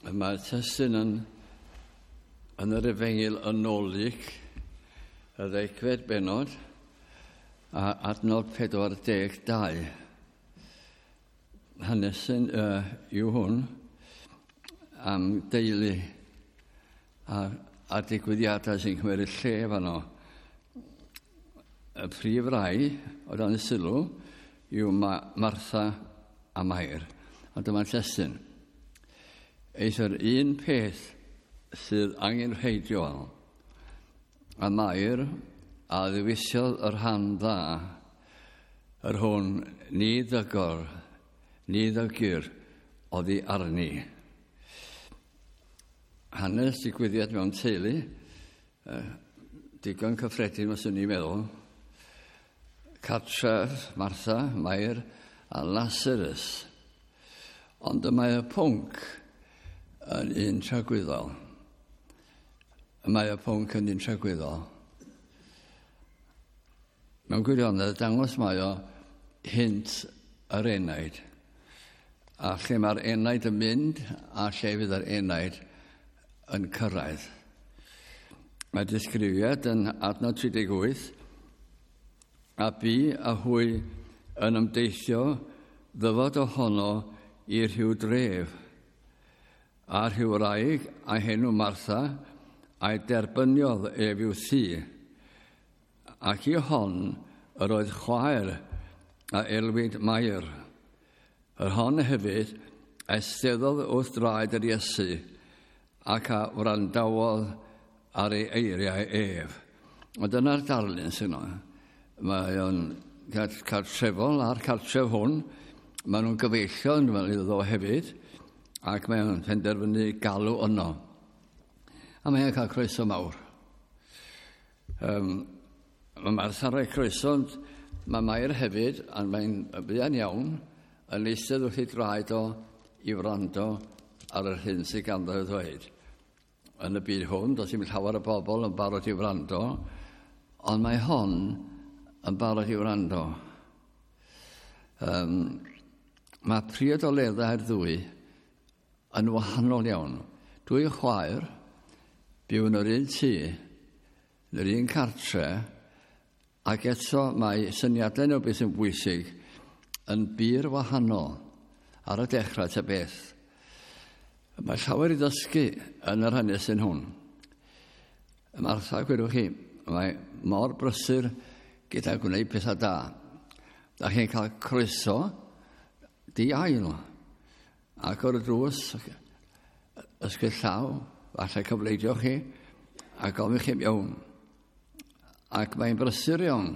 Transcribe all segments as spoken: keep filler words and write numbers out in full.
Mae'r testun yn, yn yr Efengyl yn ôl Luc, y ddegfed bennod, a adnod pedwar deg dau. Hanesyn uh, yw hwn am deulu a, a digwyddiadau sy'n cymryd lle fanno. Y prif rai o dan y sylw yw Ma Martha a Mair. A dyma'r testun. Eithr un peth sydd angenrheidiol, a Mair a ddewisiodd y rhan dda, yr hwn ni ddygor, ni ddygir oddi arni. Hanes digwyddiad mewn teulu, digon cyffredin os ydyn ni'n meddwl. Cartref, Martha, Mair a Lazarus. Ond y mae y pwnc yn un tragwyddol. Mae y pwnc yn un tragwyddol. Mewn gwirionedd, dangos mae o hynt yr enaid. A lle mae'r enaid yn mynd a lle fydd yr enaid yn cyrraedd. Mae disgrifiad yn adnod tri deg wyth, a bu a hwy yn ymdeithio ddyfod ohono i rhyw dref, a rhyw wraig a henw Martha, a'i derbyniodd ef i'w thŷ. Ac i hon yr oedd chwaer a elwid Mair. Yr hon hefyd eisteddodd wrth draed yr Iesu ac a wrandawodd ar ei eiriau ef. Ond dyna'r darlun sy'n yno. Mae o'n cartrefol a'r cartref hwn. Maen nhw'n gyfeillion fel iddo hefyd, ac mae o'n penderfynu galw yno. A mae'n cael croeso mawr. Um, mae Martha'n rhoi croeso, ond mae Mair hefyd, a mae'n fuan iawn, yn eistedd wrth ei draed o i wrando ar yr hyn sydd ganddo i ddweud. Yn y byd hwn, does dim llawer o bobl yn barod i wrando, ond mae hon yn barod i wrando. Um, mae priodoleddau'r ddwy yn wahanol iawn. Dwy chwaer byw yn yr un tŷ, yn yr un cartre, ac eto mae syniadau nhw beth sy'n bwysig yn bur wahanol ar y dechrau ta beth. Mae llawer i ddysgu yn yr hanesyn hwn. Martha, gwirwch chi, mae mor brysur gyda gwneud pethau da. Da chi'n cael croeso di-ail. Ac o'r drws, ysgwyd llaw, falle cyfleidio chi, a gofyn chi mewn. Ac mae'n brysur iawn.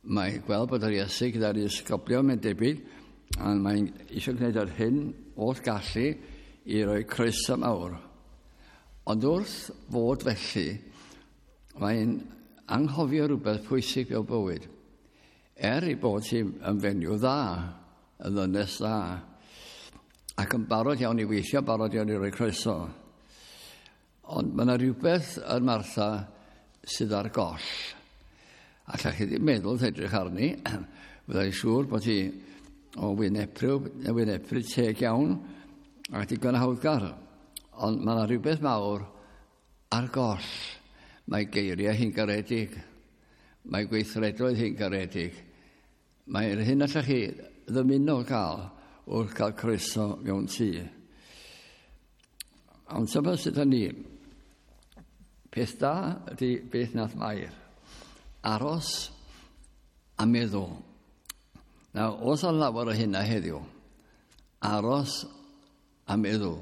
Mae'n gweld bod yr Iesu gyda'r ysgoblion, mae'n debyg, a mae'n eisiau gwneud yr hyn oll gallu i roi croeso mawr. Ond wrth fod felly, mae'n anghofio rhywbeth pwysig mewn bywyd. Er ei bod hi yn fenyw dda, yn ddynes dda, ac yn barod iawn i weithio, barod iawn i roi croeso. Ond mae yna rhywbeth yn Martha sydd ar goll. Allech chi ddim meddwl wrth edrych arni, fyddai'n siŵr bod hi o wyneprw, wyneprw teg iawn ac digon hawddgar. Ond mae yna rhywbeth mawr ar goll. Mae geiriau hi'n garedig. Mae gweithredoedd hi'n garedig. Mae'r hyn allech chi ddymuno gael wrth gael croeso mewn tŷ. Ond dyma sydd â ni. Peth da ydy beth nath Mair. Aros a meddwl. Nawr, oes a lawer o hynna heddiw. Aros a meddwl.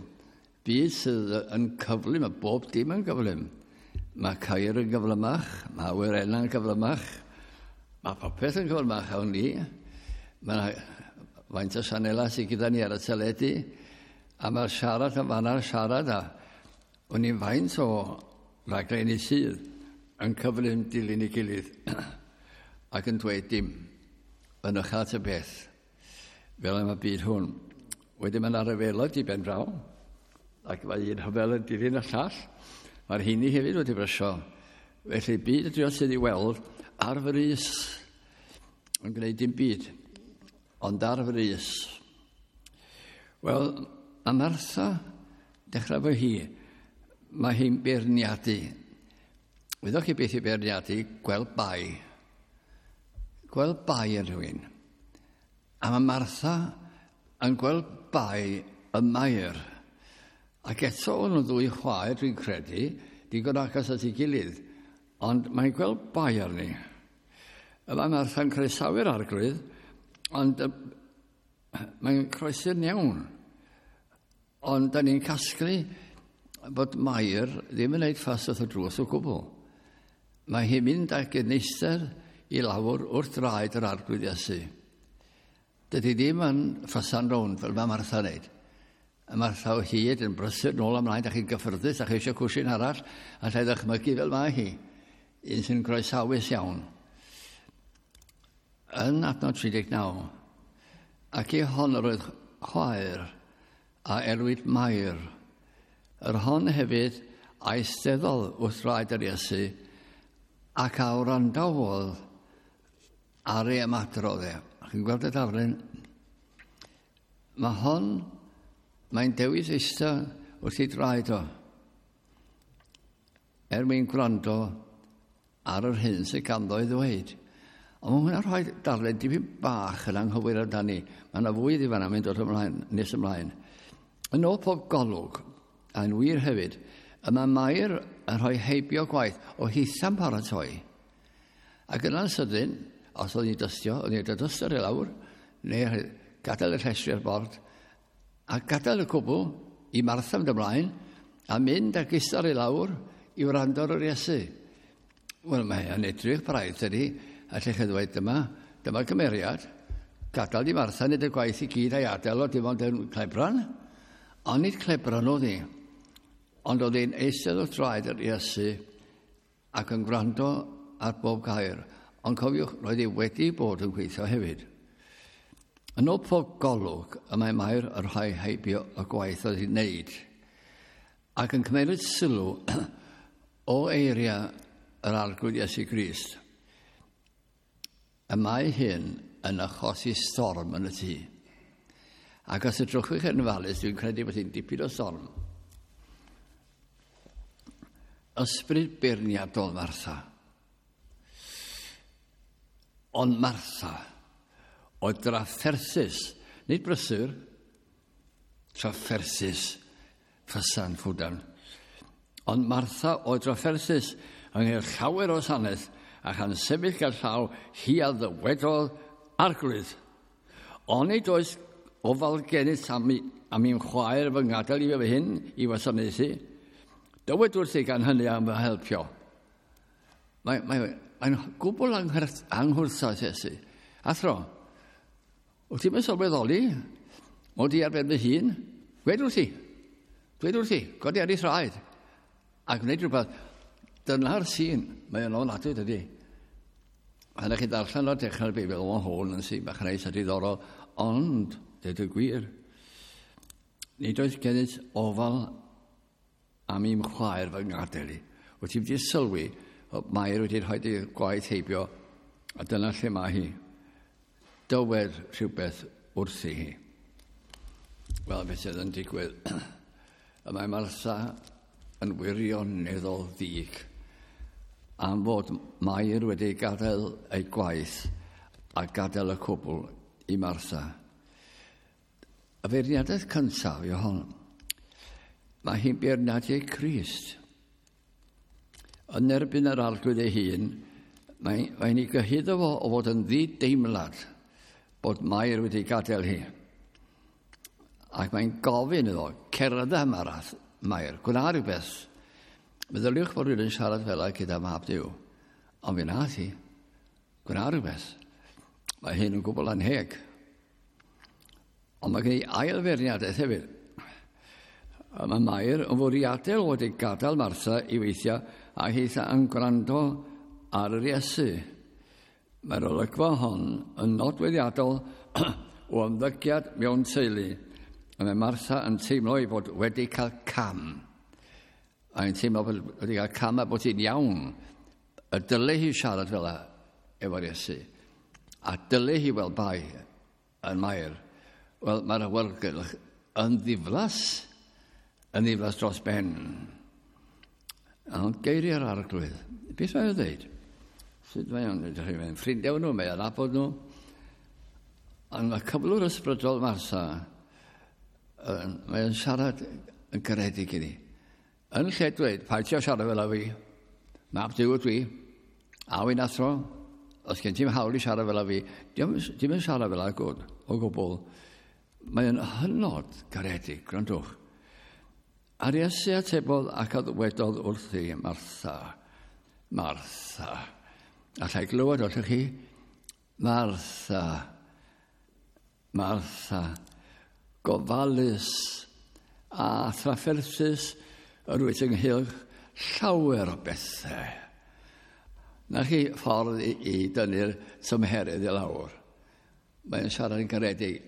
Byd sydd yn cyflym, mae bob dim yn gyflym. Mae ceir yn gyflymach, mae awyrenna'n gyflymach, mae popeth yn gyflymach awn ni. Mae faint o sianela sydd gyda ni ar y teledu, a mae'r siarad yn fanna'r siarad, a o'n i'n faint o raglenni sydd yn cyflym dilyn ei gilydd ac yn dweud dim yn ychydig at y beth, fel yma byd hwn. Wedyn mae yna ryfeloedd di ben draw, ac mae un rhyfel yn dilyn y llall. Mae'r hynny hefyd wedi brysio. Felly byd ydy o sydd i weld ar frys yn gwneud dim byd, ond ar frys. Wel, mae Martha Dechrau fo hi, mae hi'n beirniadu. Wyddoch chi beth i beirniadu? Gweld bai. Gweld bai yn rhywun. A mae Martha yn gweld bai y Mair. Ac eto o'n nhw ddwy chwaer, dwi'n credu, digon agos at ei gilydd, ond mae'n gweld bai arni. Yma Martha'n croesawu'r Arglwydd, ond mae'n croesi'n iawn. Ond da ni'n casglu bod Mair ddim yn gwneud ffas wrth y drws o gwbl. Mae hi'n mynd ag yn eistedd i lawr wrth draed yr Arglwydd Iesu. Dydy ddim yn ffasan rownd fel mae Martha'n wneud. A Martha o hyd yn brysur nôl ymlaen, da chi'n gyffyrddus, da chi eisiau cwsin arall, a lle ddychmygu fel mae hi. Un sy'n groesawus iawn. Yn adnod tri deg naw, ac i hon yr oedd chwaer a elwid Mair. Yr hon hefyd a eisteddodd wrth draed yr Iesu ac a wrandawodd ar ei ymadrodd e. Chi'n gweld y darlun? Mae hon, mae'n dewis eistedd wrth ei draed o, er mwyn gwrando ar yr hyn sydd ganddo i ddweud. Ond mae hwnna'n rhoi darlun dipyn bach yn anghywir amdani. Mae yna fwy iddi fan'na mynd dod ymlaen, nes ymlaen. Yn ôl pob golwg, a'n wir hefyd, y mae Mair yn rhoi heibio gwaith o hitha'n paratoi. Ac yna'n sydyn, os oedd hi'n dystio, oedd hi'n dystio i lawr, neu gadael y llestri ar bord, a gadael y cwbl i Martha mynd ymlaen, a mynd ag eistedd i lawr i wrando ar yr Iesu. Wel, mae yn edrych braidd, dydy, a lle chi ddweud, dyma, dyma gymeriad, gadael i Martha wneud y gwaith i gyd a'i adael o dim ond yn clebran. Ond nid clebran oedd hi, ond oedd hi'n eistedd wrth draed yr Iesu ac yn gwrando ar bob gair. Ond cofiwch, roedd hi wedi bod yn gweithio hefyd. Yn ôl pob golwg, y mae Mair yn rhoi heibio y gwaith oedd hi'n wneud, ac yn cymeryd sylw o eiriau yr Arglwydd Iesu Grist. Y mae hyn yn achosi storm yn y tŷ. Ac os edrychwch yn ofalus, dwi'n credu bod hi'n dipyn o storm. Ysbryd beirniadol Martha. Ond Martha oedd drafferthus, nid brysur, trafferthus, ffysan ffwdan. Ond Martha oedd drafferthus yng llawer o saneth, a chan sefyll gael llaw, hi a ddywedodd Arglwydd. Onid oes ofal gennyt am, am i'm chwaer fy ngadael i fy hyn i wasanaethu? Dywed wrthi gan hynny am fy helpio. Mae'n mae, mae gwbl anghwrthas Iesu. Athro, wyt ti'n sylweddoli mod i ar ben fy hun? Dwed wrthi. Dwed wrthi. Godi ar ei thraed. A gwneud rhywbeth. Dyna'r sîn. Mae o'n ofnadwy, dydy. Pan ydych chi darllen o'r dechrau'r Beibl, mae hwn yn sîn bach neis a diddorol, ond, dweud y gwir, nid oes gennyt ofal am i'm chwaer fy ngadael i. Wyt ti wedi sylwi, Mair wedi rhoi ei gwaith heibio, a dyna lle mae hi. Dywed rhywbeth wrthi hi. Wel, beth sydd yn digwydd? Y mae Martha yn wirioneddol ddig am fod Mair wedi gadael ei gwaith a gadael y cwbl i Martha. Y feirniadaeth cyntaf yw hon. Mae hi'n beirniadu Crist. Yn erbyn yr Arglwydd ei hun, mae'n mae ei gyhuddo fo o fod yn ddideimlad bod Mair wedi gadael hi. Ac mae'n gofyn iddo, cerdded Marath, Mair, gwna rhywbeth. Meddyliwch bod rhywun yn siarad fel gyda mab Duw. Ond fe nath hi, gwna rhywbeth. Mae hyn yn gwbl anheg. Ond mae gen i ail feirniadaeth hefyd. Mae Mair yn fwriadol wedi gadael Martha i weithio a hitha yn gwrando ar yr Iesu. Mae'r olygfa hon yn nodweddiadol o ymddygiad mewn teulu. A mae Martha yn teimlo ei bod wedi cael cam. A hi'n teimlo bod wedi cael cam a bod hi'n iawn. Y dyle hi siarad fel efo'r Iesu. A dyle hi weld bai yn Mair. Wel, mae'r awyrgylch yn ddiflas. yn ddiflas dros ben. Ond geiriau'r Arglwydd. Beth mae'n dweud? Sut mae o'n dweud? Mae'n ffrindiau nhw, mae'n nabod nhw. Ond mae cyflwr ysbrydol Martha, mae'n siarad yn garedig iddi. Yn lle dweud, paid ti o siarad fel a fi, mab Duw ydw i, a wy'n athro, os gen ti'm hawl i siarad fel a fi, dim yn siarad fel a gwd, o gwbl. Mae'n hynod garedig, gwrandwch. A'r Iesu atebodd ac a ddywedodd wrthi, Martha, Martha. Allai glywed allwch chi? Martha, Martha, gofalus a thrafferthus yr wyt ynghylch llawer o bethau. Na chi ffordd i, i dynnu'r tymheredd i lawr. Mae'n siarad yn garedig.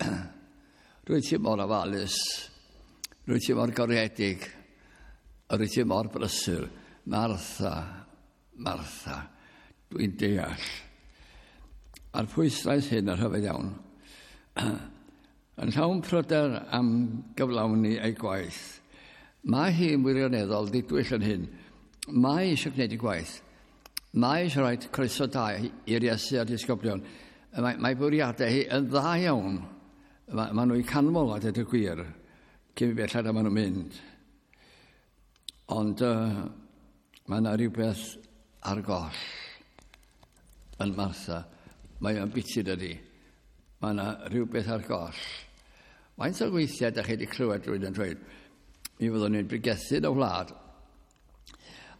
Rwyt ti mor ofalus, rwyt ti mor garedig, a rwyt ti mor brysur. Martha, Martha, dwi'n deall. A'r pwyslais hyn yn rhyfedd iawn. Yn llawn pryder am gyflawni ei gwaith. Mae hi'n wirioneddol ddidwyll yn hyn. Mae eisiau gwneud ei gwaith. Mae eisiau rhoi croeso da i'r Iesu a'r disgyblion. Mae, mae bwriadau hi yn dda iawn. Mae, mae nhw'n canmol a dweud y gwir. Cyn belled a maen nhw'n mynd. Ond uh, mae yna rhywbeth ar goll yn Martha. Mae o'n biti dydi. Mae yna rhywbeth ar goll. Faint o weithiau da chi wedi clywed rhywun yn dweud, mi fyddwn ni'n bregethu yn y wlad,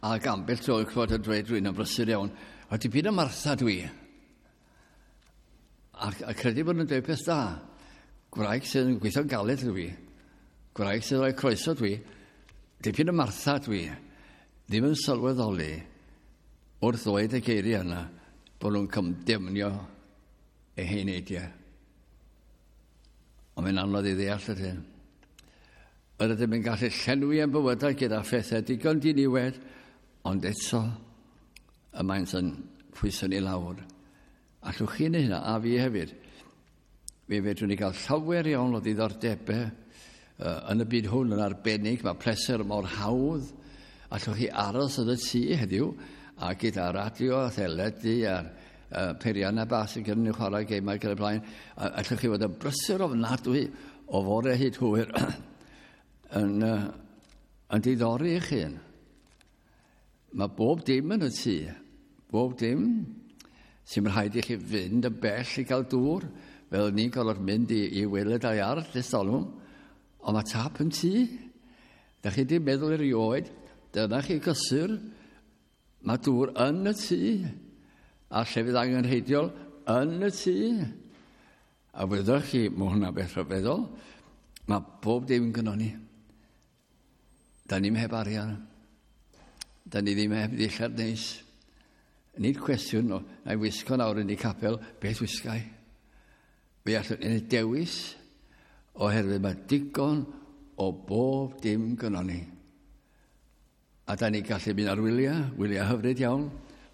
ac ambell tro clywed yn dweud rhywun yn brysur iawn, a dipyn o Martha dwi. A, a credu bod nhw'n dweud peth da. Gwraig sydd yn gweithio'n galed dwi. Gwraig sydd yn rhoi croeso dwi. Dipyn o Martha dwi. Ddim yn sylweddoli wrth ddweud y geiriau yna bod nhw'n cymdemnio eu heneidiau. Ond mae'n anodd i ddeall ydyn. Yr ydym yn gallu llenwi ein bywydau gyda phethau digon diniwed, ond eto y maent yn pwyso ni lawr. Allwch chi wneud hynna, a fi hefyd. Mi fedrwn ni gael llawer iawn o ddiddordebau uh, yn y byd hwn yn arbennig. Mae pleser mor hawdd. Allwch chi aros yn y tŷ heddiw, a gyda radio a theledu a'r uh, peiriannau bach sy'n gyda ni chwarae gemau gyda blaen. Allwch chi fod yn brysur ofnadwy o fore hyd hwyr yn, uh, yn diddori eich hun. Mae bob dim yn y tŷ. Bob dim. Sy'n rhaid i chi fynd yn bell i gael dŵr, fel ni'n gorfod mynd i, i weled a'i ardd ers talwm. Ond mae tap yn tŷ. Da chi di meddwl erioed, dyna chi gysur, mae dŵr yn y tŷ, a llefydd angenrheidiol yn y tŷ. A wyddoch chi, mae hwnna beth rhyfeddol, mae bob dim gynnon ni. Da ni'm heb arian. Da ni ddim heb ddillad neis. Nid cwestiwn o, na i wisgo nawr yn y capel, beth wisgai? Fe allwn ni dewis, oherwydd mae digon o bob dim gynnon ni. A da ni gallu mynd ar wyliau, wyliau hyfryd iawn.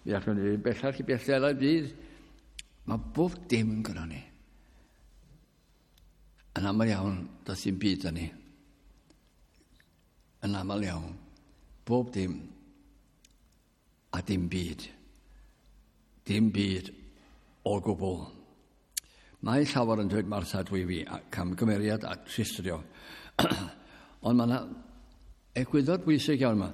Mi allwn ni fynd bellach i bellach y byd. Mae bob dim gynnon ni. Yn aml iawn, does dim byd â ni. Yn aml iawn, bob dim a dim byd. Dim byd o gwbl. Mae llawer yn dweud Martha dwi fi, camgymeriad a tristrio. Ond mae yna egwyddor bwysig iawn yma.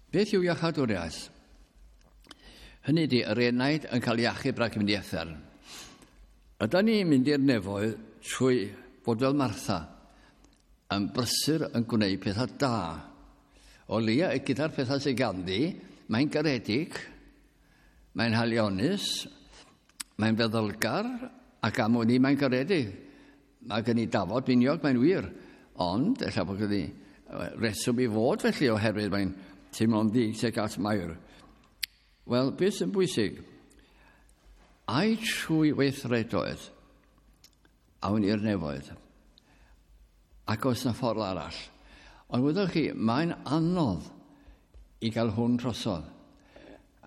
Beth yw iachadwriaeth? Hynny ydi, yr enaid yn cael iachub rhag mynd i uffern. Ydan ni'n mynd i'r nefoedd trwy fod fel Martha, yn brysur yn gwneud pethau da. O leia, gyda'r pethau sydd ganddi, mae'n garedig, mae'n halionus, mae'n feddylgar, ac am wn i mae'n garedig. Mae gen i dafod miniog, mae'n wir. Ond, ella bod gen i reswm i fod felly, oherwydd mae'n teimlo'n ddig tuag at Mair. Wel, beth sy'n bwysig? Ai trwy weithredoedd awn i'r nefoedd, ac oes na ffordd arall. Ond wyddoch chi, mae'n anodd i gael hwn drosodd.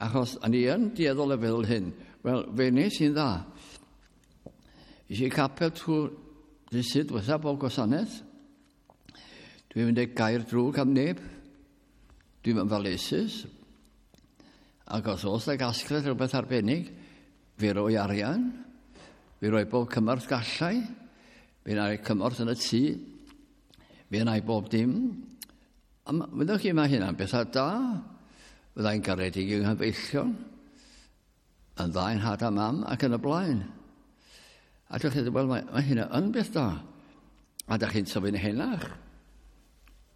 Achos, a ni yn dueddol o feddwl hyn, wel, fe wnes i'n dda. Es i capel trwy dydd Sul diwetha bob gwasanaeth. Dwi'n mynd i gair drwg am neb. Dwi'n mynd faleisus. Ac os oes na gasgliad rhywbeth arbennig, fi roi arian, fi roi bob cymorth gallai, fi wna i cymorth yn y tŷ, fi wna i bob dim. A wyddoch chi, mae hynna'n bethau da. Fyddai'n garedig i'w nghyfeillion, yn dda i'n nhad a mam ac yn y blaen. A dych chi'n dweud, wel, mae, mae hynna yn beth da. A dych chi'n tyfu'n henach.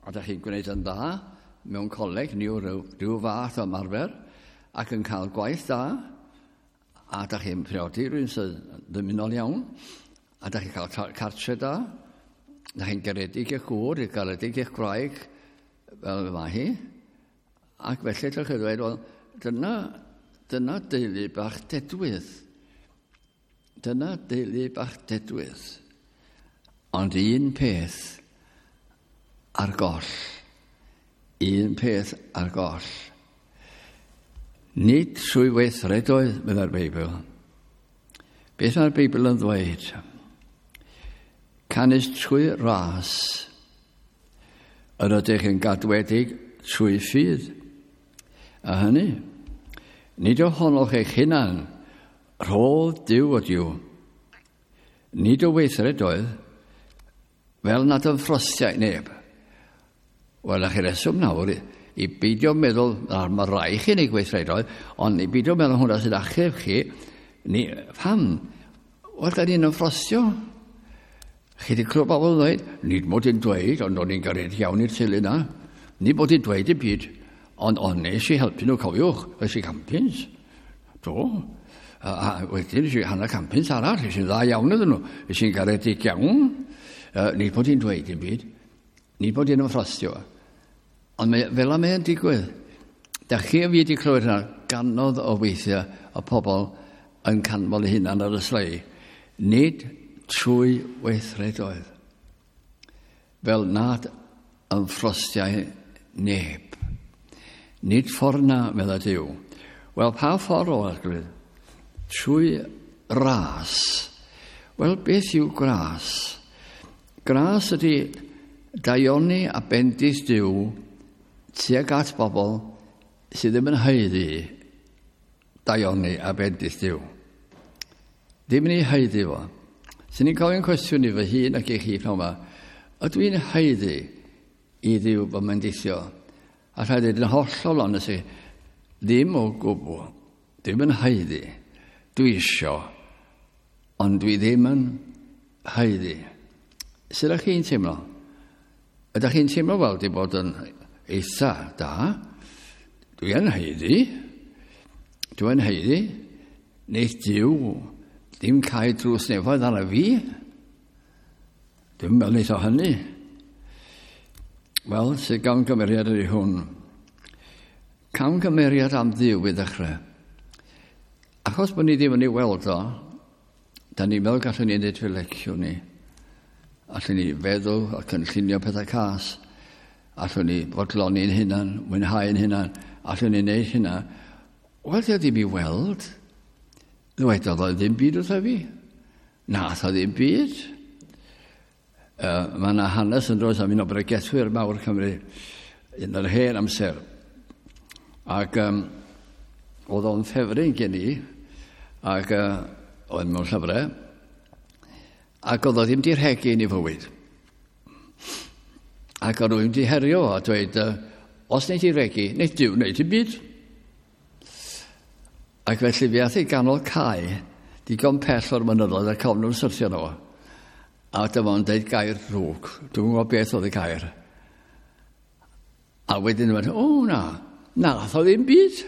A dych chi'n gwneud yn dda mewn coleg, neu rhyw, rhyw fath o ymarfer, ac yn cael gwaith da. A dych chi'n priodi rhywun sydd ddymunol iawn. A dych chi'n cael cartre da. Dych chi'n garedig i'ch gŵr, i'r garedig i'ch gwraig, fel mae hi. Ac felly dych chi'n dweud, wel, dyna, dyna deulu bach dedwydd. Dyna deulu bach dedwydd. Ond un peth ar goll. Un peth ar goll. Nid trwy weithredoedd, meddai'r Beibl. Beth mae'r Beibl yn ddweud? Canys trwy ras yr ydych yn gadwedig trwy ffydd. A hynny, nid ohonoch eich hunan, rhodd Duw ydyw. Nid o weithredoedd, fel nad ymffrostiai neb. Wel, na chi reswm nawr i, i beidio meddwl, mae rai chi'n ei gweithredoedd, ond i beidio meddwl hwnna sy'n achub chi, ni, pam? Wel, da ni'n ymffrostio. Chi wedi clywed bobl yn dweud, nid mod i'n dweud, ond o'n i'n garedig iawn i'r teulu na. Nid mod i'n dweud i byd, ond on nes i helpu nhw, cofiwch, es i campins. Do. A, a wedyn es i hanner campins arall, es i'n dda iawn iddyn nhw, es i'n garedig iawn. Uh, nid bod i'n dweud i'n byd, nid bod i'n ymffrostio. Ond mae, fel am mae'n digwydd. Da chi a fi wedi clywed hynna ganodd o weithiau o pobl yn canmol eu hunan ar y slei. Nid trwy weithredoedd. Fel nad ymffrostiau neb. Nid ffordd na, medda Duw. Wel, pa ffordd o Arglwydd? Trwy ras. Wel, beth yw gras? Gras ydy daioni a bendith Duw tuag at bobl sydd ddim yn haeddu daioni a bendith Duw. Ddim yn ei haeddu fo. Sy'n ni'n gofyn cwestiwn i fy hun ac i chi pnawn yma, ydw i'n haeddu i Dduw fy mendithio? A rhaid dweud yn hollol onest i, ddim o gwbl, ddim yn haeddu. Dwi isio, ond dwi ddim yn haeddu. Sut ydych chi'n teimlo? Ydych chi'n teimlo fel di bod yn eitha da? Dwi yn haeddu. Dwi yn haeddu. Neith Duw ddim cau drws nefoedd arna fi. Dwi'n meddwl neith o hynny. Wel, sydd gamgymeriad ydy hwn. Camgymeriad am Dduw i ddechrau. Achos bod ni ddim yn ei weld o, da ni'n meddwl gallwn ni wneud fel leciwn ni. Allwn ni feddwl a cynllunio pethau cas. Allwn ni fodloni'n hunan, mwynhau'n hunan. Allwn ni wneud hynna. Wel, di o ddim i weld. Ddwedodd o ddim byd wrtha fi. Nath o ddim byd. Uh, mae yna hanes yn dod am un o bregethwyr mawr Cymru yn yr hen amser. Ac um, oedd o'n ffefryn gen i, ac uh, oedd mewn llyfrau, ac oedd o ddim di rhegi yn ei fywyd. Ac oedd rhywun di herio a dweud, uh, os wneud i regi, wneud Duw wneud i byd. Ac felly fi ath i ganol cae, digon pell o'r mynyddoedd ac ofn nhw'n syrthio nhw. A dyma o'n deud gair drwg. Dwi'n gwybod beth oedd y gair. A wedyn mae'n, o na, nath o ddim byd.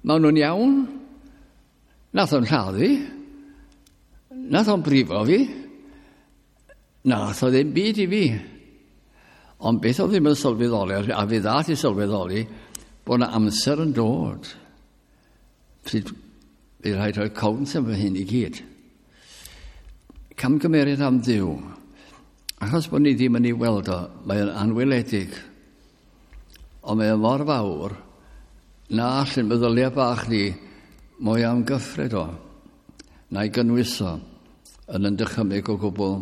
Maen nhw'n iawn. Nath o'n lladdu. Nath o'n brifo fi. Nath o ddim byd i fi. Ond beth oedd ddim yn sylweddoli, a fi ddath i sylweddoli, bod yna amser yn dod. Pryd bydd rhaid rhoi cownt am fy hyn i gyd. Camgymeriad am Dduw. Achos bod ni ddim yn ei weld o, mae o'n anweledig. Ond mae o'n mor fawr na allan meddyliau bach ni mwy am gyffred o, na'i gynnwys o yn yn dychymyg o gwbl.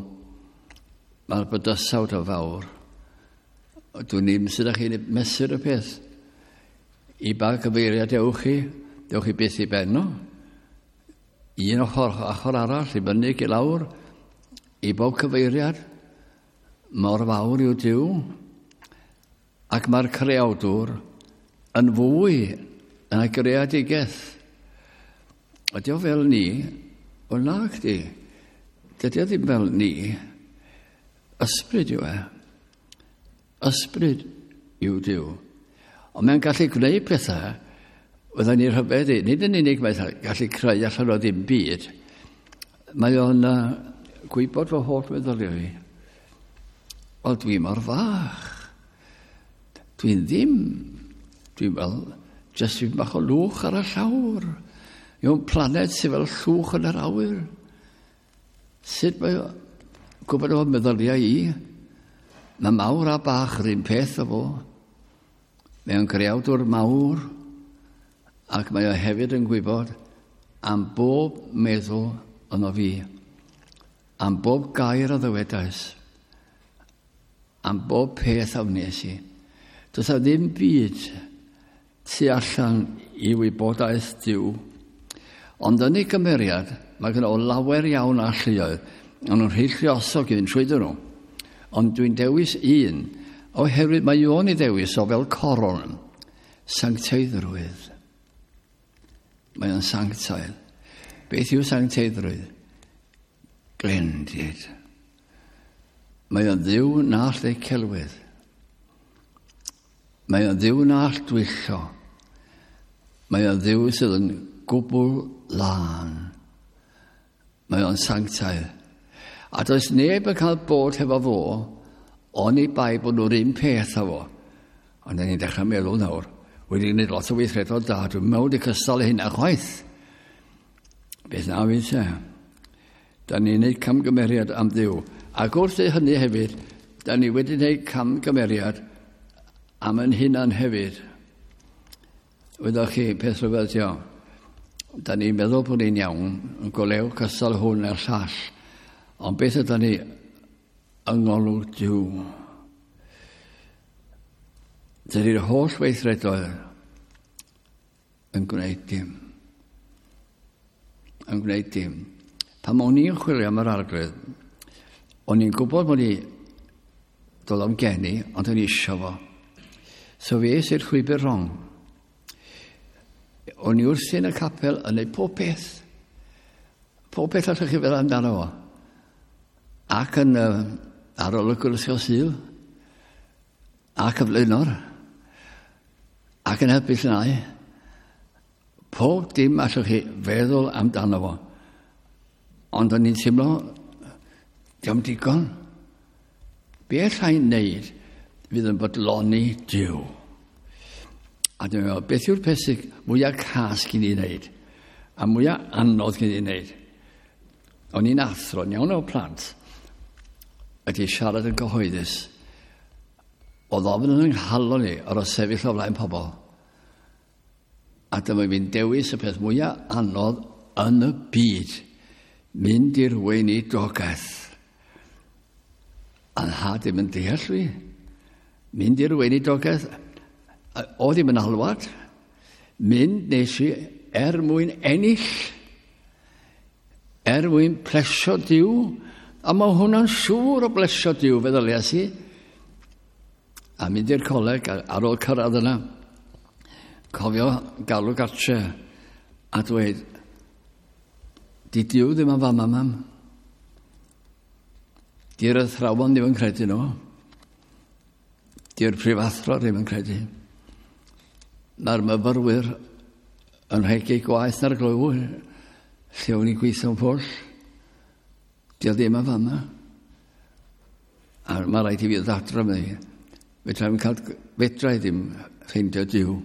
Mae'r bydysawd o fawr. Dwi'n ni'n sydd â chi'n mesur y peth. I ba gyfeiriad ewch chi, dewch chi byth i ben o. Un ochr, ochr arall, i fyny i lawr, i bob cyfeiriad. Mor fawr yw Duw. Ac mae'r creawdwr yn fwy yn y greadigaeth. Ydy o fel ni? O na chdi. Dydy o ddim fel ni. Ysbryd yw e. Ysbryd yw Duw. Ond mae'n gallu gwneud pethau fydden ni'n rhyfeddu. Nid yn unig mae'n gallu creu allan o ddim byd. Mae o'n uh, gwybod fy holl meddyliau i. Wel, dwi mor fach. Dwi'n ddim. Dwi'n fel, jyst fi'n bach o lwch ar y llawr. Yw'n planed sydd fel llwch yn yr awyr. Sut mae o gwybod o meddyliau i? Mae mawr a bach yr un peth o fo. Mae o'n greawdwr mawr, ac mae o hefyd yn gwybod am bob meddwl yno fi, am bob gair a ddywedais, am bob peth a wnes i. Does a ddim byd tu allan i wybodaeth Duw. Ond yn ei gymeriad, mae gen o lawer iawn alluoedd, ond nhw'n rhy lluosog i fynd trwyddyn nhw. Ond dwi'n dewis un, oherwydd mae o'n ei ddewis o fel coron, sancteiddrwydd. Mae o'n sanctaidd. Beth yw sancteiddrwydd? Glendid. Mae o'n ddiw na all ei celwydd. Mae o'n ddiw na all dwyllo. Mae o'n ddiw sydd yn gwbl lân. Mae o'n sanctaidd. A does neb yn cael bod hefo fo, oni bai bod nhw'r un peth â fo. Ond ni'n dechrau meddwl nawr, wedi gwneud lot o weithredoedd da, dwi'n meddwl wedi cystal hynna chwaith. Beth na fi te? Da ni'n gwneud camgymeriad am Dduw. Ac wrth ei hynny hefyd, da ni wedi gwneud camgymeriad am yn hunan hefyd. Wyddoch chi, peth rhyfedd ydi o. Da ni'n meddwl bod ni'n iawn, yn golew cystal hwn a'r llall. Ond beth ydy ni yng ngolwg Duw? Dydy'r holl weithredoedd yn gwneud dim. Yn gwneud dim. Pan o'n i'n chwilio am yr Arglwydd, o'n i'n gwybod bod i doedd o'm gen i, ond o'n i isio fo. So fi es i'r llwybr wrong. O'n i wrthi yn y capel yn neud pob peth. Pob peth allwch chi feddwl amdano fo. Ac yn uh, arolygwr ysgol Sul, ac y flaenor, ac yn helpu llnau. Pob dim allwch chi feddwl amdano fo. Ond o'n i'n teimlo, diolch digon. Be allai wneud fydd yn bodloni Duw? A dwi'n meddwl, beth yw'r peth sydd mwyaf cas gyn i wneud? A mwyaf anodd gyn i wneud? O'n i'n athro, iawn o plant, ydy siarad yn gyhoeddus. Oedd ofn yn nghalon i ar o sefyll o flaen pobl. A dyma fi'n dewis y peth mwyaf anodd yn y byd. Mynd i'r weinidogaeth. A nhad ddim yn deall fi. Mynd i'r weinidogaeth. Oedd ddim yn alwad. Mynd nes i er mwyn ennill. Er mwyn plesio Duw. A mae hwnna'n siŵr o blesio Duw, feddyliais i. A mynd i'r coleg ar ôl cyrraedd yna. Cofio galw gartre a dweud, di Duw ddim yn fama, mam. Di'r athrawon ddim yn credu nhw. Di'r prifathro ddim yn credu. Mae'r myfyrwyr yn rhegi gwaith na'r glwyw, lle o'n i'n gweithio'n pwll. Di o ddim yn fama. A mae rhaid i fi ddod adra mi. Fedra i'm cael, fedra i ddim ffeindio Duw.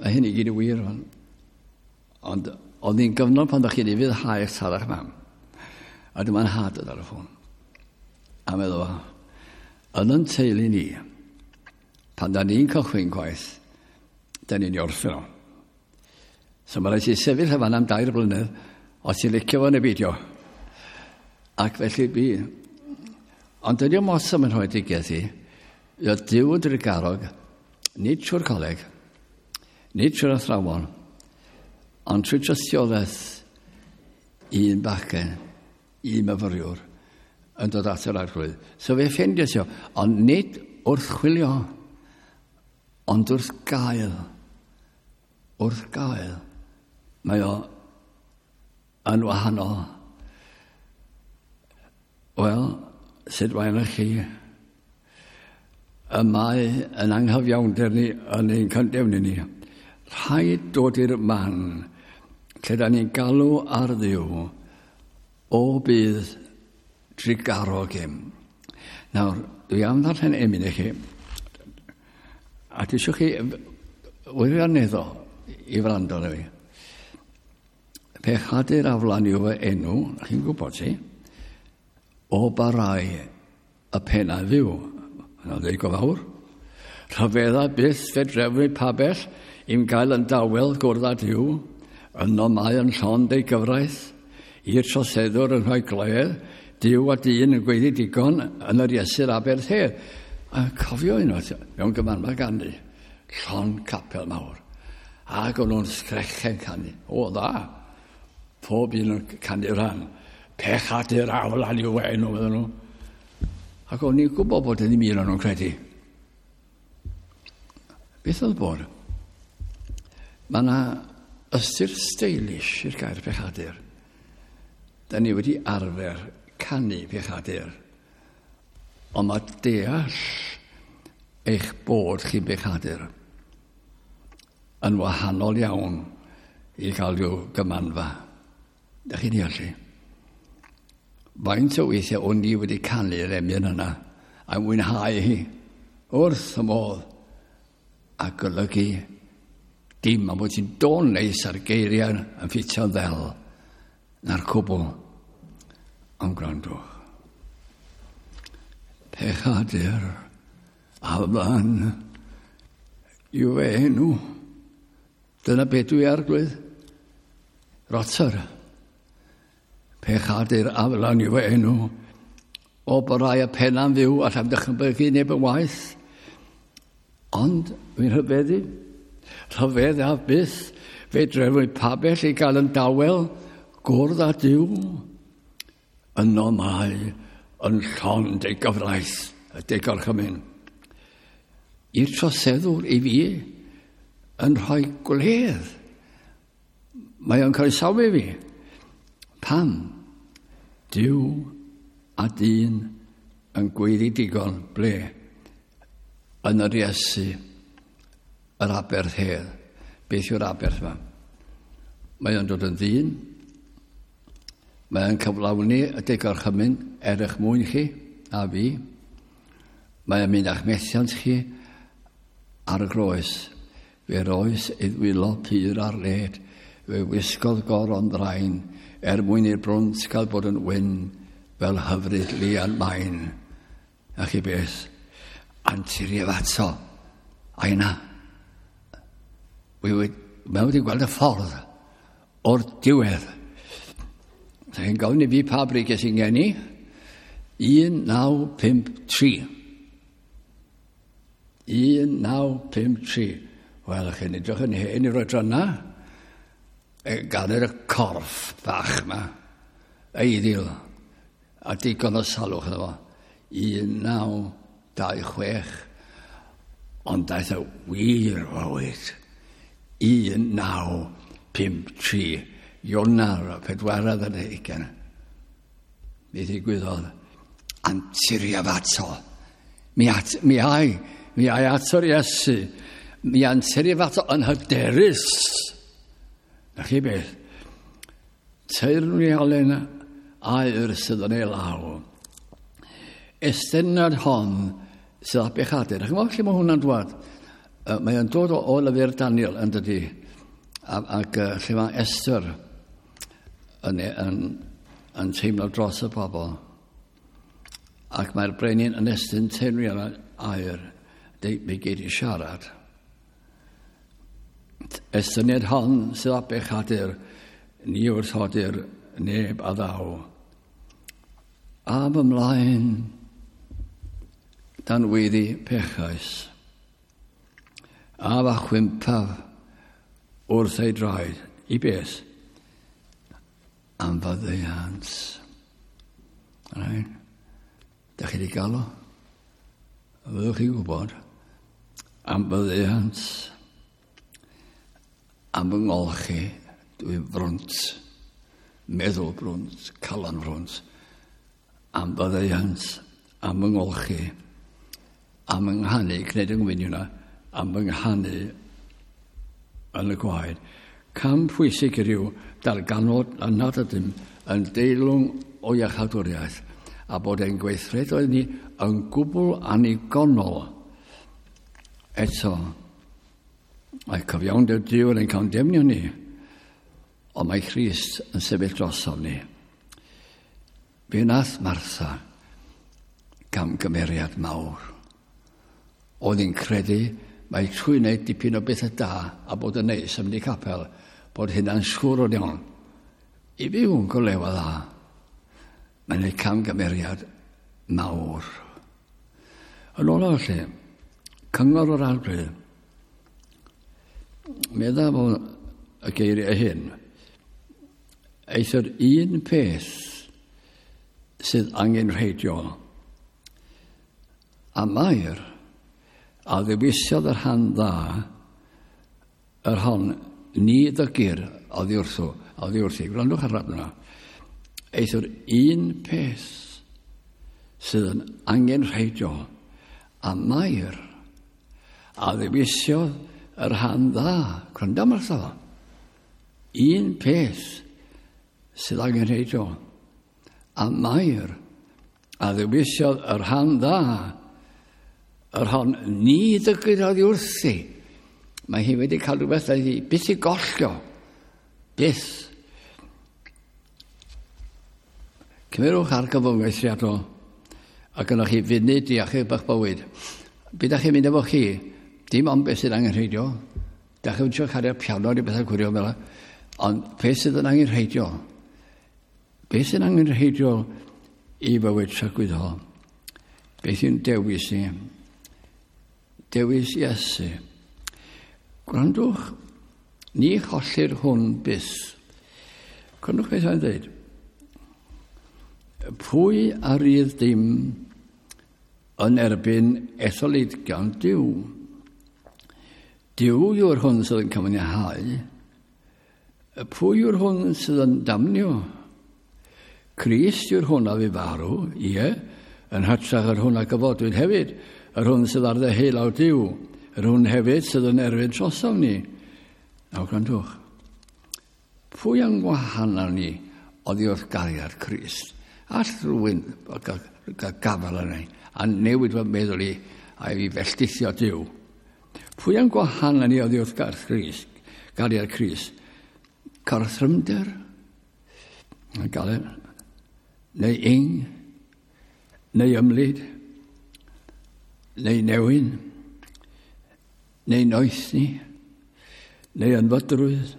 A hyn i gyd yn wir. Ond oedd hi'n gyfnod pan ddech chi'n ufuddhau eich tad a'ch mam. A dyma'n nhad ar y ffôn. A meddwl, yn yn teulu ni, pan da ni'n cychwyn gwaith, da ni'n i orffen o. So mae rhaid ti sefyll efo am dair blynedd, os ti'n licio fo neu beidio. Ac felly bu, Ond dydy o'm os am yn rhoedigaeth i. Oedd Duw yn drugarog, nid trwy'r coleg, nid trwy'r athrawon, ond trwy tystiolaeth un bachgen, un myfyriwr, yn dod at yr Arglwydd. So fe ffeindiais o, ond nid wrth chwilio, ond wrth gael. Wrth gael. Mae o yn wahanol. Wel, sut mae yna chi? Y mae yn anghyfiawnder ni yn ein condemnio ni. Rhaid dod i'r man lle da ni'n galw ar Dduw o bydd drugarog im. Nawr, dwi am ddarllen emyn i chi, a dwi eisiau chi wirioneddol i wrando arno fi. Pechadur aflan yw fy enw, chi'n gwybod ti, o barai y pennau fyw. Yna'n dweud go fawr. Rhyfedda byth fe drefnu pabell i'm gael yn dawel gwrdd â Duw. Yno mae yn llond ei gyfraith. I'r troseddwr yn rhoi gledd. Duw a dyn yn gweiddi digon yn yr Iesu'r aberth hedd. A cofio unwaith mewn gymanfa ganu, llond capel mawr. Ac o'n nhw'n sgrechen canu. O, dda. Pob un yn canu rhan. Pechadur aflan yw enw, meddyn nhw. Ac o'n i'n gwybod bod ddim un o'n nhw'n credu. Beth oedd bod? Mae yna ystyr stylish i'r gair pechadur. Da ni wedi arfer canu pechadur. Ond mae deall eich bod chi'n bechadur yn wahanol iawn i gael rhyw gymanfa. Da chi'n deall i? Faint o weithiau o'n i wedi canu'r emyn yna a mwynhau hi wrth y modd a golygu dim am bod ti'n dôn neis ar geiriau yn ffitio'n ddel na'r cwbl. Ond gwrandwch. Pechadur aflan yw fy enw. Dyna beth dwi, Arglwydd. Rotter. Pechadur aflan yw fy enw. O barai y penna'n fyw, allai'm dychmygu neb yn waeth. Ond fi'n rhyfeddu. Rhyfedd a byth. Fe drefnwyd pabell i gael yn dawel gwrdd â Duw. Yno mae yn llond ei gyfraith, y deg gorchymyn. I'r troseddwr i fi yn rhoi gwledd. Mae o'n croesawu fi. Pam? Duw a dyn yn gweiddi digon ble? Yn yr Iesu, yr aberth hedd. Beth yw'r aberth yma? Mae o'n dod yn ddyn. Mae o'n cyflawni y deg gorchymyn er eich mwyn chi a fi. Mae o'n mynd â'ch methiant chi ar y groes. Fe roes ei ddwylo pur ar led. Fe wisgodd goron ddrain er mwyn i'r brwnt gael bod yn wyn fel hyfryd lian main. A chi beth? Anturiaf ato. A yna. Mae wedi gweld y ffordd o'r diwedd. So chi'n gofyn i fi pa bryd ges i'n geni? un naw pump tri. un naw pump tri. Wel, chi'n edrych yn hen i'r oedran yna. Gan yr corff bach yma. Eiddil. A digon o salwch iddo fo. un naw dau chwech. Ond daeth y wir fywyd. un naw pump tri. Ionawr, pedwaredd ar hugain. Mi ddigwyddodd anturiaf ato. Mi, at, mi ai, mi ai ato'r Iesu. Mi anturiaf ato yn hyderus. Na chi beth? Teyrnialen aur sydd yn ei law. Estyniad hon sydd â bechadur. Chi'n gwybod lle mae hwnna'n dwad? Mae o'n dod o, o lyfr Daniel yn dydi. Ac uh, lle mae Esther yn, yn, yn teimlo dros y bobl. Ac mae'r brenin yn estyn teyrnialen aur. Deud, mi gei di siarad. Estyniad hon sydd â bechadur, ni wrthodir neb a ddaw. Am ymlaen Dan weiddi pechais. A fa chwimpaf wrth ei draed. I beth? Am faddeuant. Right? Da chi wedi gael o? Fyddwch chi'n gwybod? Am faddeuant. Am fy ngolchi, dwi'n frwnt. Meddwl brwnt, calon frwnt. Am faddeuant, am fy ngolchi. Am yng nghanu, gwneud yng ngwyn yna, am fy nghanu yn y gwaed. Cam pwysig yw darganfod na nad ydym yn deilwng o iachawdwriaeth a bod ein gweithredoedd ni yn gwbl annigonol. Eto, mae cyfiawnder Duw yn ein condemnio ni, ond mae Christ yn sefyll drosom ni. Fe wnaeth Martha gamgymeriad mawr. Oedd hi'n credu mae trwy wneud dipyn o bethau da a bod yn neis am mynd i capel, bod hynna'n siŵr o'n iawn. I fyw yn golewa dda, mae'n ei camgymeriad mawr. Yn ola felly, cyngor o'r Arglwydd, medda fo y geiriau hyn, eithr un peth sydd angenrheidiol, a Mair a ddewisiodd yr rhan dda, yr hon ni ddygir oddi wrtho, oddi wrthi. Gwrandwch ar yna. Eithr un peth sydd yn angenrheidiol, a Mair a ddewisiodd yr rhan dda. Gwrando Martha. Un peth sydd angenrheidiol, a Mair a ddewisiodd yr rhan dda, yr hon ni ddygir oddi wrthi. Mae hi wedi cael rhywbeth a hi byth i gollio. Byth. Cymerwch argyfwng eithriadol a gynnwch chi funud i achub eich bywyd. Be da chi'n mynd efo chi, dim ond beth sydd angenrheidiol. Da chi'n trio cario piano neu bethau gwirion fel yna. Ond beth sydd yn angenrheidiol? Beth sydd yn angenrheidiol i fywyd tragwyddol? Beth yw'n dewis ni? Dewis Iesu. Gwrandwch, ni chollir hwn byth. Gwrandwch beth mae'n dweud. Pwy a rydd dim yn erbyn etholedigion Duw? Duw yw'r hwn sydd yn cyfiawnhau. Pwy yw'r hwn sydd yn damnio? Crist yw'r hwn a fu farw, ie, yn hytrach yr hwn a gyfodwyd hefyd, yr hwn sydd ar ddeheulaw Duw, yr hwn hefyd sydd yn erfyn drosom ni. Nawr gwrandwch. Pwy yn gwahanol ni oddi wrth gariad Crist? All rhywun gael gafael arna i a newid fy meddwl i a i felltithio Duw? Pwy yn gwahanol ni oddi wrth Crist, gariad Crist? Gorthrymder? Neu ing? Neu ymlid? Neu newyn? Neu noethni? Neu ynfydrwydd?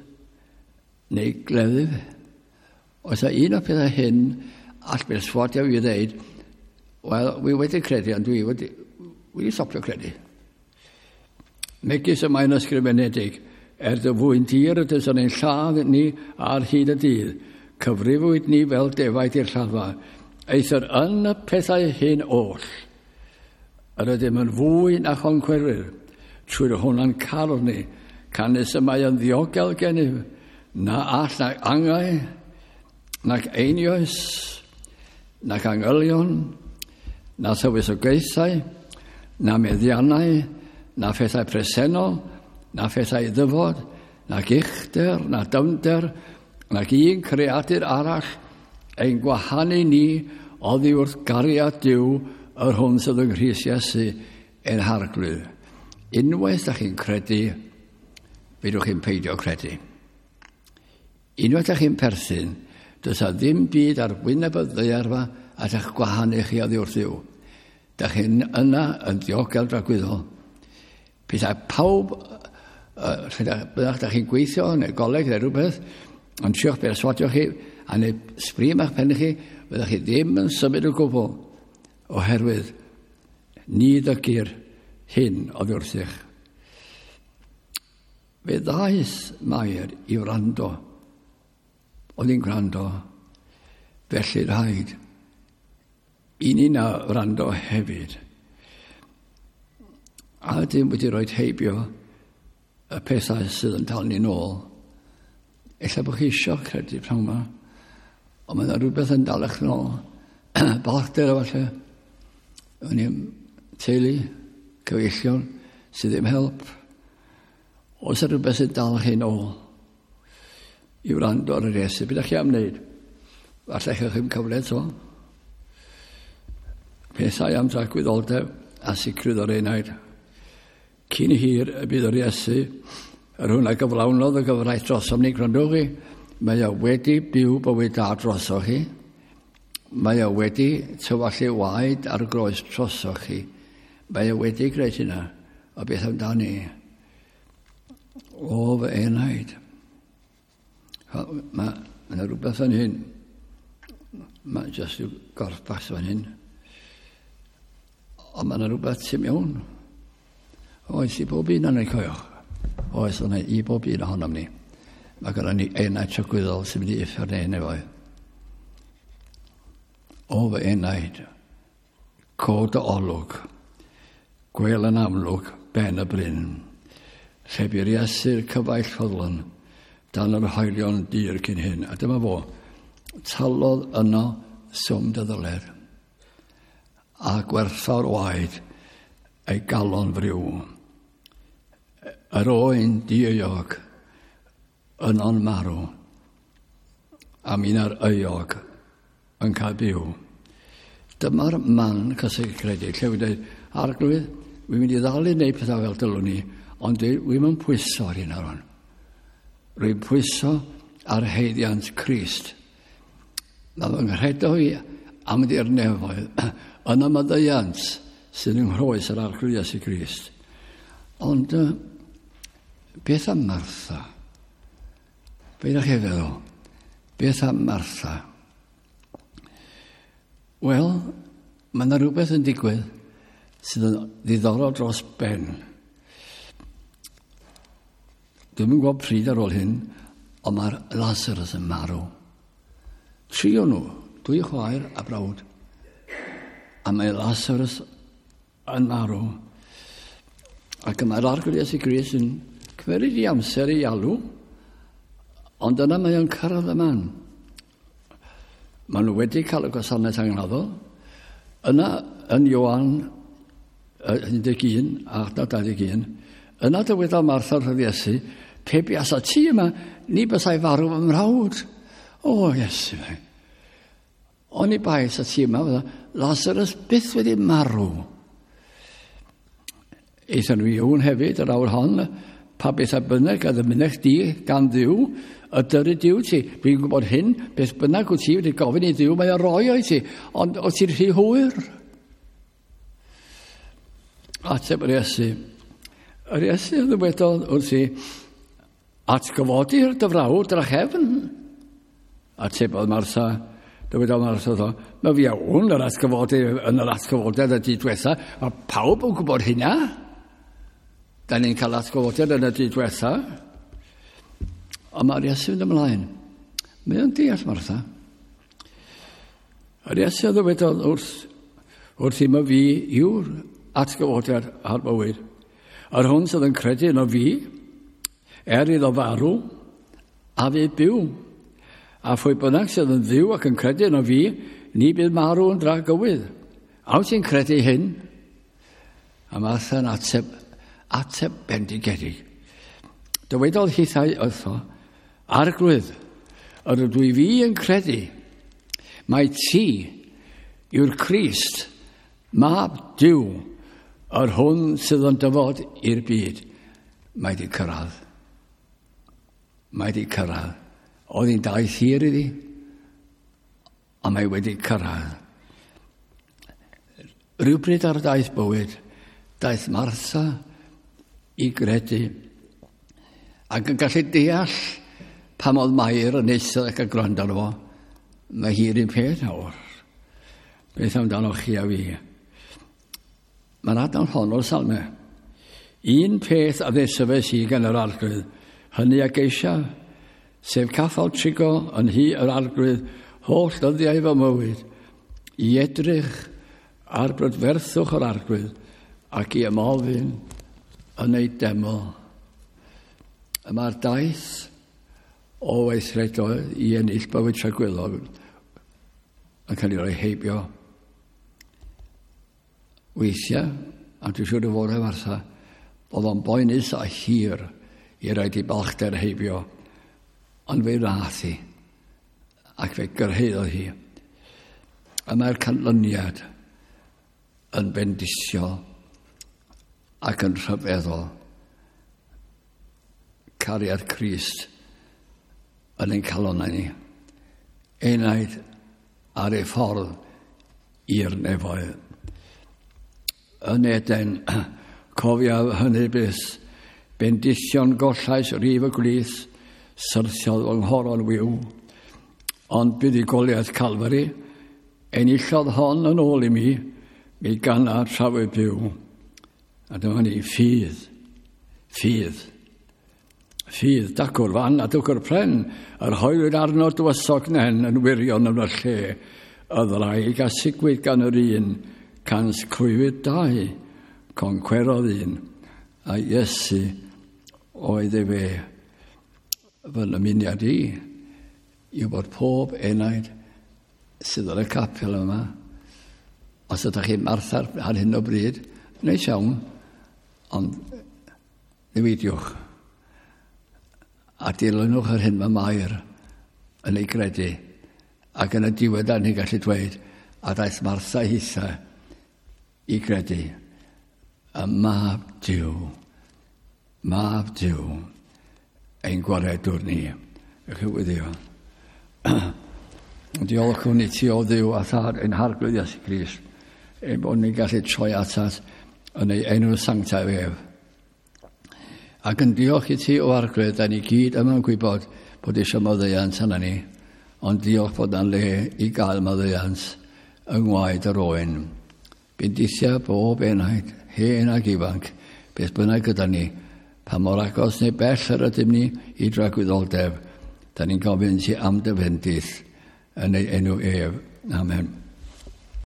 Neu gleddyf? Oes a un o'r pethau hyn all berswadio fi ddeud, wel, wi wedi credu, ond dwi wedi, wedi stopio credu. Megis y mae'n ysgrifenedig, er dy fwyn dir ydys yn ein lladd ni ar hyd y dydd, cyfrifwyd ni fel defaid i'r lladdfa, eithr yn y pethau hyn oll, yr ydym yn fwy na choncwerwyr, trwy'r hwnna'n carwn ni, canys y mae yn ddiogel gennyf, na all na angau, nac einioes, nac angylion, na thywysogaethau, na meddiannau, na phethau presennol, na phethau ddyfod, nac uchder, na dyfnder, nac un creadur arall, ein gwahanu ni oddi wrth gariad Duw, yr hwn sydd yng Nghrist Iesu ein Harglwydd. Unwaith ydych chi'n credu, fedrwch chi'n peidio credu. Unwaith ydych chi'n perthyn, does a ddim byd ar wyneb y ddaear fa a ydych gwahanu chi oddi wrth Dduw. Dych chi'n yna yn ddiogel dragwyddol. Pethau pawb, uh, bydda'ch ydych chi'n gweithio neu goleg neu rhywbeth, ond trio'ch berswadio chi, a neu sbri am eich pen chi, bydda'ch chi ddim yn symud o gwbl, oherwydd Ni ddygir hyn oddi wrthych. Fe ddaeth Mair i wrando. Oedd hi'n gwrando. Felly rhaid i ni na wrando hefyd. A ydym wedi rhoi heibio y pethau sydd yn dal ni nôl. Ella bod chi isio credu pnawn yma, ond mae yna rhywbeth yn dal eich nôl. Balchder efallai. O'n i'n teulu, cyfeillion, sydd ddim help. Oes yna rhywbeth sy'n dal chi nôl i wrando ar yr Iesu? Beth ydych chi am wneud? Falle chi ddim cyfle eto. Pethau am dragwyddoldeb a sicrwydd o'r enaid. Cyn hir y bydd yr Iesu, yr hwn a gyflawnodd y gyfraith drosom ni, gwrandwch chi, mae o wedi byw bywyd da drosoch chi, mae o wedi tywallu waed ar groes drosoch chi, mae o wedi gwneud hynna, a beth amdani? O fy enaid. Mae yna rhywbeth fan hyn. Mae jyst rhyw gorff bach fan hyn. Ond mae yna rhywbeth tu mewn. Oes i bob un o'n ei coelio. Oes yna i bob un ohonom ni. Mae gennym ni enaid tragwyddol sy'n mynd i uffern neu nefoedd. O fy enaid, cod dy olwg, gwel yn amlwg ben y bryn, lle bu'r Iesu'r cyfaill ffyddlon dan yr hoelion dir cyn hyn. A dyma fo, talodd yno swm dy ddyled, a gwerthfawr waed ei galon friw. Yr oen dieuog yno'n marw, a mi'n euog yn cael byw. Dyma'r man cysegredig, lle wy'n dweud, Arglwydd, wy'n mynd i ddal i wneud pethau fel dylwn ni, ond dwi'n mynd pwyso ar hyn ar hwn. Rwy'n pwyso ar haeddiant Crist. Mae fy nghredo i am i'r nefoedd yn y maddeuant sydd yng nghroes yr Arglwydd Iesu Grist. Ond uh, beth am Martha? Be ydych chi'n feddwl? Beth am Martha? Wel, mae yna rhywbeth yn digwydd sydd yn ddiddorol dros ben. Dwi'm yn gwybod pryd ar ôl hyn, ond mae'r Lazarus yn marw. Tri o'n nhw, dwy chwaer a brawd. A mae Lazarus yn marw. Ac mae'r Arglwydd Iesu Grist yn cymeryd i amser i alw, ond yna mae o'n cyrraedd y man. Maen nhw wedi cael y gwasanaeth angladdol. Yna yn Ioan un deg un a dau ddeg un, yna dywedodd Martha wrth Iesu, pe buasa ti yma, ni bysai farw fy mrawd. O, Iesu, fe. Oni bai sa ti yma, fydda Lazarus byth wedi marw. Aethon nhw i Ioan hefyd yr awr hon, pa beth a bynnag a ddymunech di gan Dduw, y dyry Duw ti. Dwi'n gwybod hyn, beth bynnag wyt ti wedi gofyn i Dduw, mae o roi o'i ti, ond o ti'n rhy hwyr. Ateb yr Iesu. Yr Iesu ddywedodd wrthi, atgyfodi'r dy frawd drachefn. Atebodd Martha, dywedodd Martha wrtho, mae fi iawn yr atgyfodi yn yr atgyfodiad y dydd diwetha. Mae pawb yn gwybod hynna. Da ni'n cael atgyfodiad yn y dydd diwetha. Ond mae'r Iesu yn ymlaen. Mae o'n deall Martha. Yr Iesu ddywedodd wrth, wrth i ma fi yw'r atgyfodiad a'r bywyd. Yr hwn sydd yn credu yno fi, er iddo farw, a fydd byw. A phwy bynnag sydd yn fyw ac yn credu yno fi, ni bydd marw yn dragywydd. A wyt ti'n credu hyn? A Martha'n ateb, ateb bendigedig. Dywedodd hithau wrtho, Arglwydd, yr ydw i fi yn credu, mai ti yw'r Crist, mab Duw, yr hwn sydd yn dyfod i'r byd. Mae di cyrraedd. Mae di cyrraedd. Oedd hi'n daith hir iddi, a mae wedi cyrraedd. Rhywbryd ar daith bywyd, daeth Martha i gredu, ac yn gallu deall pam oedd Mair yn eistedd ac yn gwrando arno fo. Mae hi'r un peth nawr. Beth amdano chi a fi? Mae'r adnod hon o'r Salmau. Un peth a ddesyfais i gan yr Arglwydd, hynny a geisiaf, sef caffael trigo yn nhŷ yr Arglwydd holl ddyddiau fy mywyd, i edrych ar brydferthwch yr Arglwydd ac i ymofyn yn ei deml. Y mae'r daith o weithredoedd i ennill bywyd tragwyddol yn cael ei roi heibio. Weithiau, a dwi'n siŵr o fod Martha, oedd o'n boenus a hir i roid ei balchder heibio, ond fe wnaeth hi, ac fe gyrhaeddodd hi. A mae'r canlyniad yn bendithiol ac yn rhyfeddol. Cariad Crist yn ein calonnau ni. Enaid ar ei ffordd i'r nefoedd. Yn Eden, cofiaf hynny byth, bendithion gollais rif y gwlith, syrthiodd fy nghoron wiw. Ond buddugoliaeth Calfari, enillodd hon yn ôl i mi, mi ganaf tra wyf byw. A dyma ni, ffydd, ffydd. Ffydd, dacw'r fan a dacw'r pren, yr hoelwyd arno dywysog nen yn wirion yn y lle, y ddraig a sigwyd gan yr un, cans clwyfwyd dau, concwerodd un, a Iesu oedd ei fe. Fy nymuniad i yw bod pob enaid sydd yn y capel yma, os ydych chi'n Martha ar hyn o bryd, neis iawn, ond newidiwch. A dilynwch yr hyn mae Mair yn ei gredu. Ac yn y diwedd ni'n gallu dweud, a daeth Martha hitha i gredu. Y Mab Duw, Mab Duw, ein gwaredwr ni. Ewch i weddïo. Diolchwn i ti o Dduw a Thad ein Harglwydd Iesu Grist, ein bod ni'n gallu troi atat yn ei enw sanctaidd ef. Ac yn diolch i ti o Arglwydd, da ni gyd yma'n gwybod bod eisiau maddeuant arna ni, ond diolch bod yna le i gael maddeuant yng ngwaed yr oen. Bendithia bob enaid, hen ac ifanc, beth bynnag gyda ni, pa mor agos neu bell yr ydym ni i dragwyddoldeb, da ni'n gofyn ti am dy fendith yn ei enw ef. Amen.